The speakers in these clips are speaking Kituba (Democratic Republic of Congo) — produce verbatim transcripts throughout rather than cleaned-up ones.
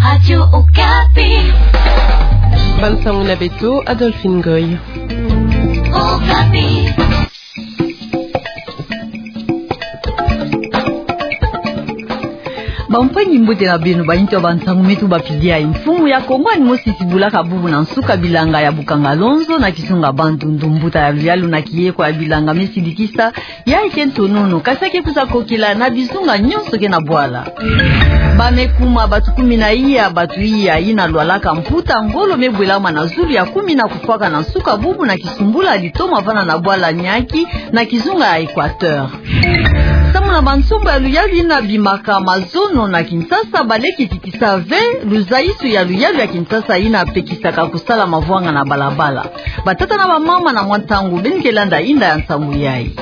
Radio Okapi. Bansango na beto, Adolphine Goy. Okapi. Bampangi, mbote na beno. Bayintu ya bansango me tubapili yayi. Mfumu ya Kongo ani mosi tibulaka bubu na nsuka bilanga ya Bukangalonzo na kizunga Bandundu. Mbuta ya luyalu na kiyekwa ya bilanga me sidikisa yayi ke ntonono, kasi ya ke kwiza kokila na bizunga nyonso ke na bwala. Ba me kuma bato kumi na iya, bato iya yina lwalaka mputa ngolo me bwelama na zulu ya kumi na kufwaka na nsuka bubu na kisumbula litoma vanda na bwala Niaki na kizunga ya Equateur. Samu na bansombo ya luyalu yina bimaka mazono na Kinshasa, ba leki titisa ve luzaisu ya luyalu ya Kinshasa yina pekisaka kusala mavwanga na balabala. Batata na bamama, na mwa ntangu beno ke landa inda ya nsangu yayi.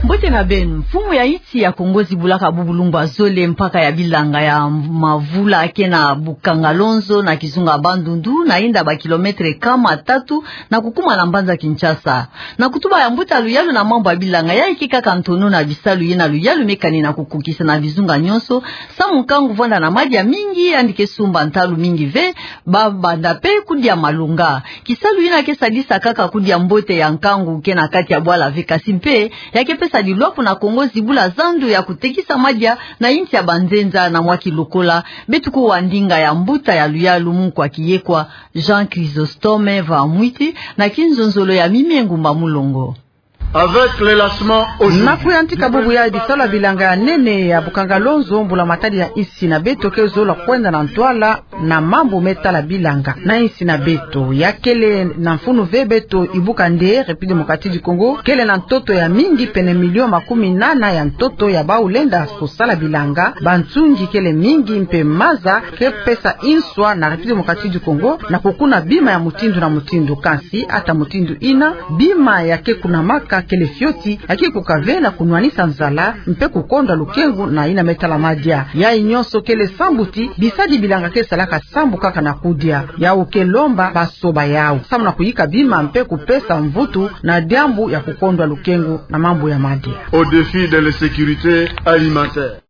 Mbote na beno. Mfumu ya insi ya Kongo zibulaka bubu lumbu ya zole mpaka ya bilanga ya Mavula ke na Bukangalonzo na kizunga Bandundu, na inda ba kilometre kama tatu na kukuma na mbanza Kinshasa. Na kutuba ya mbuta luyalu na mambu ya bilanga, yayi ke kaka ntonono na bisalu yina luyalu me kani na kukukisa na bizunga nyonso, samu nkangu vwanda na madia mingi yandi ke sumba ntalu mingi ve, ba banda pe kudia malonga. Kisalu yina ke sadisa kaka kudia mbote ya nkangu ke na kati ya bwala ve, kasi mpe ya ke pesa dilwaku na Kongo zibula zandu ya kutekisa madia na insi ya banzenza na mwa kilokola. Beto kuwa ndinga ya mbuta ya luyalu, munkwa kiyekwa Jean Chrysostome Vamwiti, na kinzonzolo ya Mimi Ngumba Mulongo. Avec l'élancement aujourd'hui. Na kuyantika bubu ya bisalu ya bilanga ya nene ya Bukangalonzo, mbula matadi ya insi na beto ke zola kwenda na ntwala na mambu me tala bilanga na insi na beto. Ya kele na mfunu ve beto ibuka nde République Démocratique du Congo kele na ntoto ya mingi, pene million makumi nana ya ntoto ya bawu lenda kusala bilanga. Bansungi kele mingi mpe maza ke pesa inswa na République Démocratique du Congo na kukuna bima ya mutindu na mutindu. Kansi ata mutindu yina, bima ya ke kunamaka kele fioti, ya ke kuka ve na kunwanisa nzala mpe kukondwa lukengu na yina me tala madia. Yayi nyonso kele sambu ti bisadi bilanga ke salaka sambu kaka na kudia. Yawu ke lomba basoba yawu samu na kuyika bima mpe kupesa mvutu na diambu ya kukondwa lukengu na mambu ya madia. Au défi de l'insécurité alimentaire.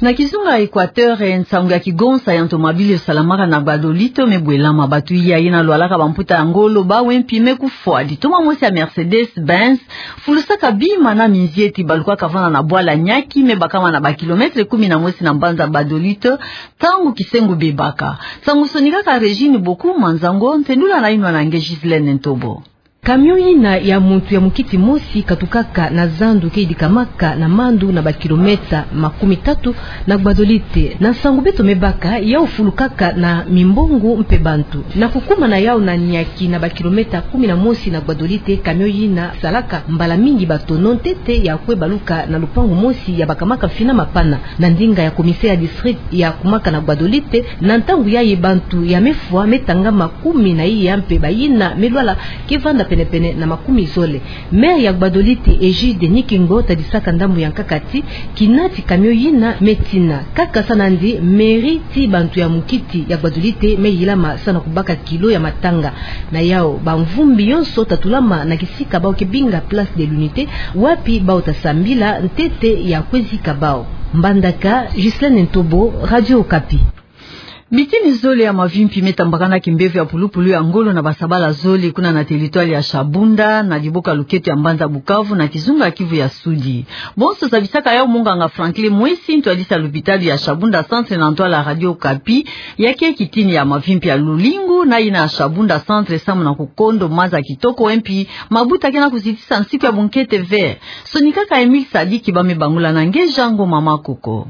Na kizunga Equateur, nsangu ya kigonsa ya ntomabili yo salamaka na Gbadolite me bwelama. Bato iya yina lwalaka bamputa ya ngolo, bawu mpi me kufwa. Litoma mosi ya Mercedes-Benz fulusaka bima na minzieti balukaka vanda na bwala Niaki, me bakama na ba kilometre kumi na mosi na mbanza Gbadolite, ntangu kisengo bebaka. Nsangu sonikaka Régine Boku Manzango, ntendula na yinwa na nge Ghislaine Ntobo. Camion yina ya muntu ya mukiti mosi katukaka na zandu ke yidikamaka na Mandu na ba kilomètre makumi tatu na Gbadolite. Na nsangu beto me baka, yawu fulukaka na mimbongo mpe bantu. Na kukuma na yawu na Niaki na ba kilomètre kumi na mosi na Gbadolite, camion yina salaka mbala mingi batono ntete ya kwe baluka na lupangu mosi ya bakamaka mfina mapana. Na ndinga ya commissaire ya district ya kumaka na Gbadolite, na ntangu yayi bantu ya me fwa me tangama kumi na iya mpe bayina me lwala ke vanda penepene na makumi zole. Maire ya Gbadolite, Egide Nikingo, tadisaka ndambu ya nkaka ti kina ti camion yina me tina. Kaka sa nandi mairie ti bantu ya mukiti ya Gbadolite me yilama sa na kubaka kilo ya matanga. Na yawu, bamvumbi yonso tatulama na kisika bawu ke binga Place de l'Unité, wapi bawu tasambila ntete ya kwe zika bawu. Mbandaka, Ghislaine Ntobo, Radio Okapi. Bitini zole ya mavimpi me tambakana kimbevo ya pulupulu ya ngolo na basabala zole kuna na territoire ya Shabunda, na liboka luketo ya mbanza Bukavu, na kizunga Kivu ya Sudi. Bonso zabisaka yawu munganga Franklin Mwesi, ntwadisi ya lupitalu ya Shabunda Centre, na ntwala Radio Okapi. Ya ke kitini ya mavimpi ya lulingu na yina ya Shabunda Centre samu na kukondo maza kitoko, mpi mabuta ke na kuzitisa nsiku ya bunkete ve. Sonikaka Emile Sadiki, ba me bangula na nge Jean Ngoma Makoko.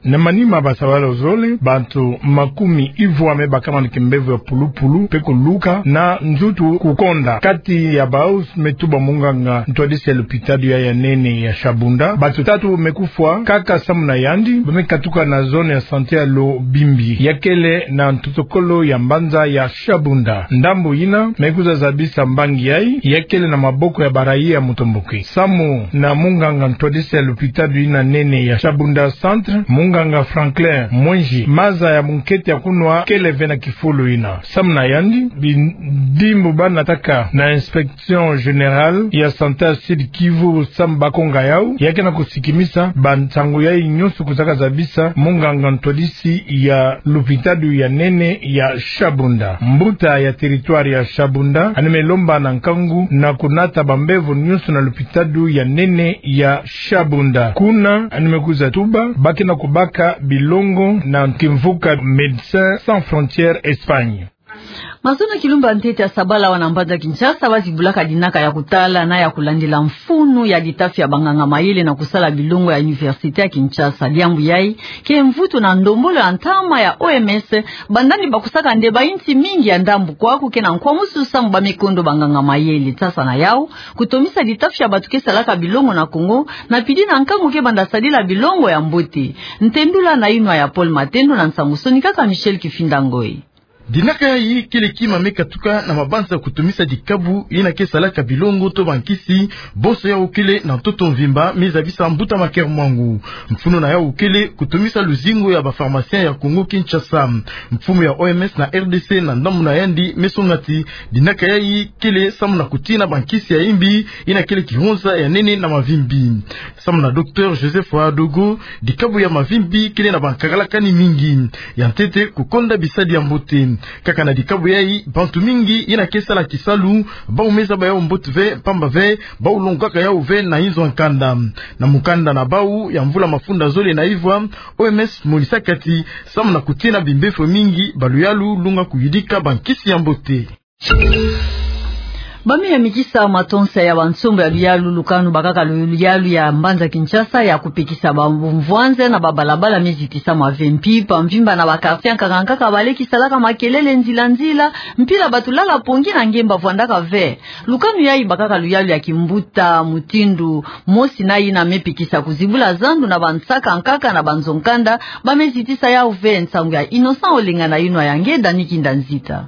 Na manima basabala zole, bantu makumi ivwa me bakama na kimbevo ya pulupulu mpe kuluka na nzutu kukonda. Kati ya bawu me tuba munganga ntwadisi ya lupitalu ya, ya nene ya Shabunda, bantu tatu me kufwa kaka samu na yandi, ba me katuka na zone ya santé ya Lobimbi, ya kele na ntotokolo ya mbanza ya Shabunda. Ndambu yina me kwiza zabisa mbangi yayi, ya kele na maboko ya ba raia mutomboki. Samu na munganga ntwadisi ya lupitalu yina nene ya Shabunda Centre, Nganga Franklin Mwenji, maza ya munkete ya kunwa kele ve na kifulu ina. Samu na yandi, bindimbu banataka na inspection générale ya santé ya Sud-Kivu, Sam Bakonga yau, ya ke na kusikimisa bansangu yayi nyonso kwizaka zabisa munganga ntwadisi ya lupitalu ya nene ya Shabunda. Mbuta ya territoire ya Shabunda, yandi me lomba na nkangu na kunata bambevo nyonso na lupitalu ya nene ya Shabunda. Kuna, yandi me kwiza tuba ba ke na kubaka bilongo na kimvuka Médecins Sans Frontières Espagne. Mazono ya kilumbu ya ntete ya sabala wana mbanza Kinshasa, ba zibulaka dinaka ya kutala na ya kulandila mfunu ya ditafi ya banganga mayele na kusala bilongo ya Université ya Kinshasa. Diambu yayi ke mvutu na ndombolo ya ntama ya O M S, banda ni bakusaka nde bainsi mingi ya ndambu kwaku ke na nkwamusu samu ba me kondo banganga mayele. Sasa na yau, kutomisa ditafi ya bato ke salaka bilongo na Kongo, na pili na nkangu ke banda sadila bilongo ya mbote. Ntendula na yinwa ya Paul Matendo na nsangu sonikaka Michel Kifinda Ngoi. Dinaka yayi kele kima me katuka na mabanza kutomisa dikabu yina ke salaka bilongo to bankisi, bonso yau kele na ntoto mvimba, me zabisa mbuta Maker Mwangu. Mfunu na yau kele kutomisa luzingu ya ba pharmaciens ya Kongo Kinshasa. Mfumu ya O M S na R D C na ndambu na yandi me songa ti dinaka yayi kele samu na kutina bankisi ya yimbi, yina kele kihonza ya nene na mavimpi. Samu na Docteur Joseph Ouedraogo, dikabu ya mavimpi kele na bankakalakani mingi. Ya ntete, kukonda bisadi ya mbote. Kaka na dikabu yayi, bantu mingi yina ke sala kisalu, bau me zaba yau mbote ve, pamba ve bau longaka yau ve na inzo ya nkanda. Na mukanda na bau ya mvula mafunda zole na ivwa, O M S monisaka ti samu na kutina bimbefo mingi, baluyalu lunga kuyidika bankisi ya mbote. Ba me yamikisa matonsa ya bansombo ya luyalu lukanu bakaka luyalu ya mbanza Kinshasa ya kupekisa bamvwanza na babalabala me zitisa mwa ve. Mpimpa mvimba na ba quartiers ya nkaka nkaka ba leki salaka makelele nzila nzila, mpila bato lala pongi na ngemba vwandaka ve. Lukanu yayi bakaka luyalu ya kimbuta mutindu mosi na yina me pekisa kuzibula zandu na bansaka nkaka na banzo nkanda, ba me zitisa yau ve. Nsangu ya Innocent Olenga na yinwa ya nge Dani Kinda Nzita.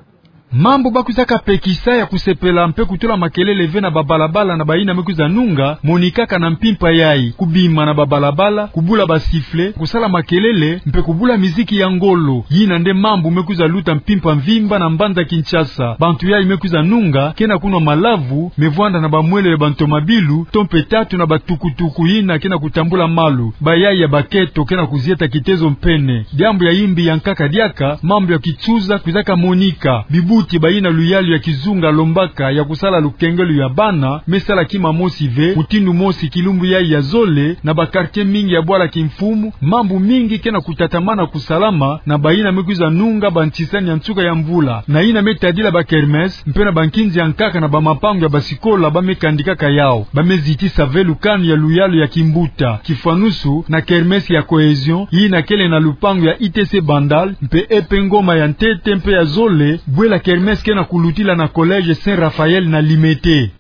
Mambu ba kwizaka pekisa ya kusepela mpe kutula makelele ve na babalabala na bayina me kwiza nunga, monikaka na mpimpa yayi: kubima na babalabala, kubula ba sifflets, kusala makelele, mpe kubula miziki ya ngolo. Yina nde mambu me kwiza luta mpimpa mvimba na mbanza Kinshasa. Bantu yayi me kwiza nunga ke na kunwa malavu, me vwanda na bamwelo ya bantomabilu, to mpe tatu na batukutuku yina ke na kutambula malu. Bayayi ya baketo ke na kuzieta kitezo mpene. Diambu ya yimbi ya nkaka diaka, mambu ya kitsuza kwizaka monika. Bibuti bayina luyalu ya kizunga lombaka ya kusala lukengelo ya bana, me sala kima mosi ve, mutindu mosi kilumbu yayi ya zole, na ba quartiers mingi ya bwala kimfumu, mambu mingi ke na kutatamana kusalama na bayina me kwiza nunga bantisani ya nsuka ya mvula, na yina me tadila ba kermesse, mpe na bankinzi ya nkaka na bamapangu ya basikola ba me kandikaka yau. Ba me zitisa ve lukanu ya luyalu ya kimbuta, kifwanusu na kermesse ya Cohésion, yina kele na lupangu ya I T C Bandal, mpe E P Ngoma ya ntete mpe ya zole, bwela kermesse ke na kulutila na collège Saint Raphaël na Limete.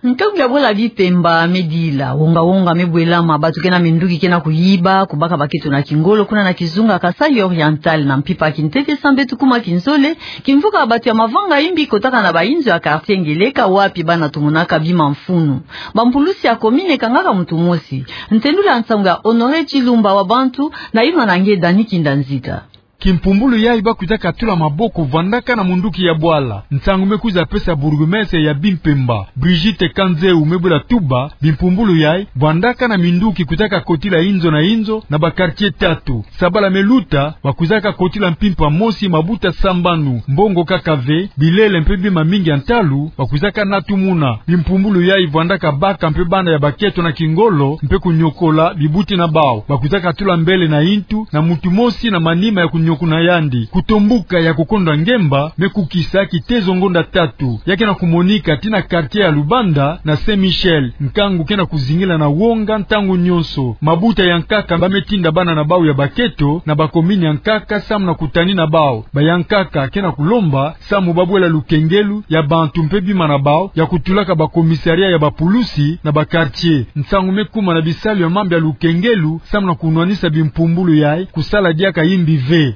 Nkangu ya bwela bipemba me dila, wonga-wonga me bwelama, bato ke na minduki ke na kuyiba, kubaka baketo na kingolo kuna na kizunga Kasaï Oriental. Na mpimpa kintete sambeto kuma kinzole, kimvuka bato ya mavanga yimbi kotaka na bayinzo ya quartier Ngeleka, wapi bana tomonaka bima mfunu. Bampulusi ya commune kangaka muntu mosi. Ntendula nsangu ya Honoré Tshilumba wa Bantu, na yinwa na nge Dani Kinda Nzita. Kimpumbulu yayi ba kwizaka tula maboko vwandaka na munduki ya bwala. Nsangu me kwiza pesa bourgmestre ya bimpemba, Brigitte Kanzeu, me bwela tuba bimpumbulu yayi vwandaka na minduki kwizaka kotila inzo na inzo na ba quartiers tatu. Sabala me luta, ba kwizaka kotila mpimpa mosi mabuta sambanu, mbongo kaka ve, bilele mpe bima mingi ya ntalu ba kwizaka natumuna. Bimpumbulu yayi vwandaka baka mpe bana ya baketo na kingolo mpe kunyokola bibuti na bau. Ba kwizaka tula mbele na intu na muntu mosi na manima ya kunyokuna yandi. Kutombuka ya kukondwa ngemba me kukisa kitezo ngonda tatu. Ya ke na kumonika tii na quartier ya Lubanda na Saint Michel. Nkangu ke na kuzingila na wonga ntangu nyonso. Mabuta ya nkaka ba me tinda bana na bau ya baketo na ba commune ya nkaka samu na kutani na bau. Bayankaka ke na kulomba samu ba bwela lukengelu ya bantu mpe bima na bau ya kutulaka ba commissariat ya bapulusi na ba quartiers. Nsangu me kuma na bisalu ya mambu ya lukengelu samu na kunwanisa bimpumbulu yayi kusala diaka yimbi ve.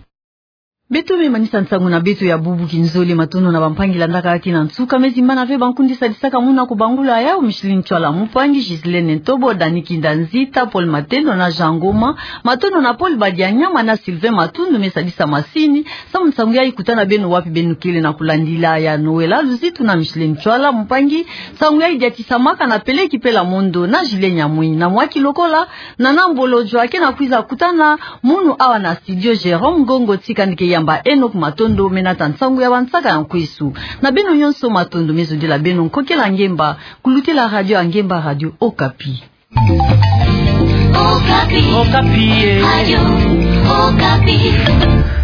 Beto me manisa nsangu na beto ya bubu kinzole. Matondo na bampangi landaka kina nsuka. Me zimbana ve bankundi sadisaka muna kubangula yau: Micheline Ntsoila Mpangi, Ghislaine Ntobo, Dani Kinda Nzita, Paul Matendo na Jean Ngoma. Matondo na Paul Badianyama na Sylvain Matundu me sadisa masini. Samu nsangu yayi kuta na beno wapi beno kele na kulandila ya. Noëlla Luzitu na Micheline Ntsoila Mpangi. Nsangu yayi diatisamaka na Peleki Pela Mondo na Julien Nyamwinyi. Na mwa kilokola, Nana Mbolo Joachim akwiza kutana munu awa na studio. Jérôme Ngongo tika nde ke yamba Enoch Matondo me nata nsangu ya bansaka ya nkwesu. Na beno nyonso matondo me zodila beno nkokela ngemba kulutela radio ya ngemba, Radio Okapi. Okapi. Okapi, eh. Radio Okapi.